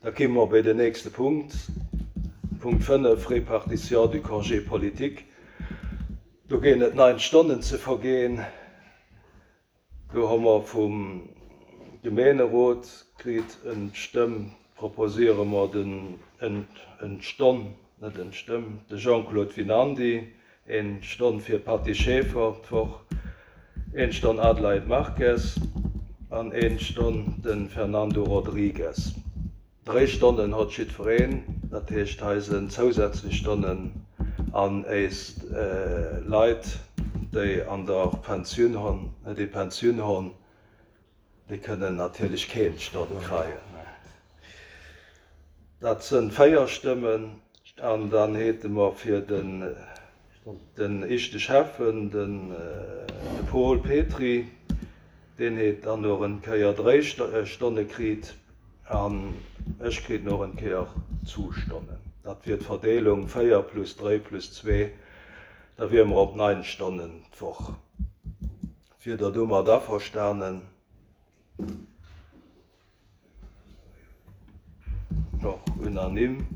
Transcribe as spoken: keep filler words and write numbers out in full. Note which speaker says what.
Speaker 1: Da komme mer bei den nächste Punkt. Punkt fënnef, Répartition du congé politique. Do ginn et neun Stonnen ze verginn. Do hu mer vum Gemeenerot kritt eng Stëmm, proposéiere mer den eng, eng Stonn, net eng Stëmm, de Jean-Claude Vinandi, eng Stonn fir Patty Schäfer d'Woch, eng Stonn Adelaide Marquez an eng Stonn den Fernando Rodriguez. Dräi Stonnen huet jiddwereen, dat heescht hei sinn zousätzlech Stonnen an eis äh, Leit, déi an der Pensioun hunn, déi Pensioun hunn, déi kënnen natierlech keng Stonn kréien. Dat sinn véier Stëmmen an dann hätte mer fir den den éischte Schäffen, den äh, de Paul Petri, deen huet dann nach eng Kéier dräi äh, Stonne kritt an ech kritt nach eng Kéier zwou Stonnen. Dat wier d'Verdeelung véier plus dräi plus zwee, da wiere mer op neun Stonnen d'Woch. Wier der domat averstanen? Och unanime.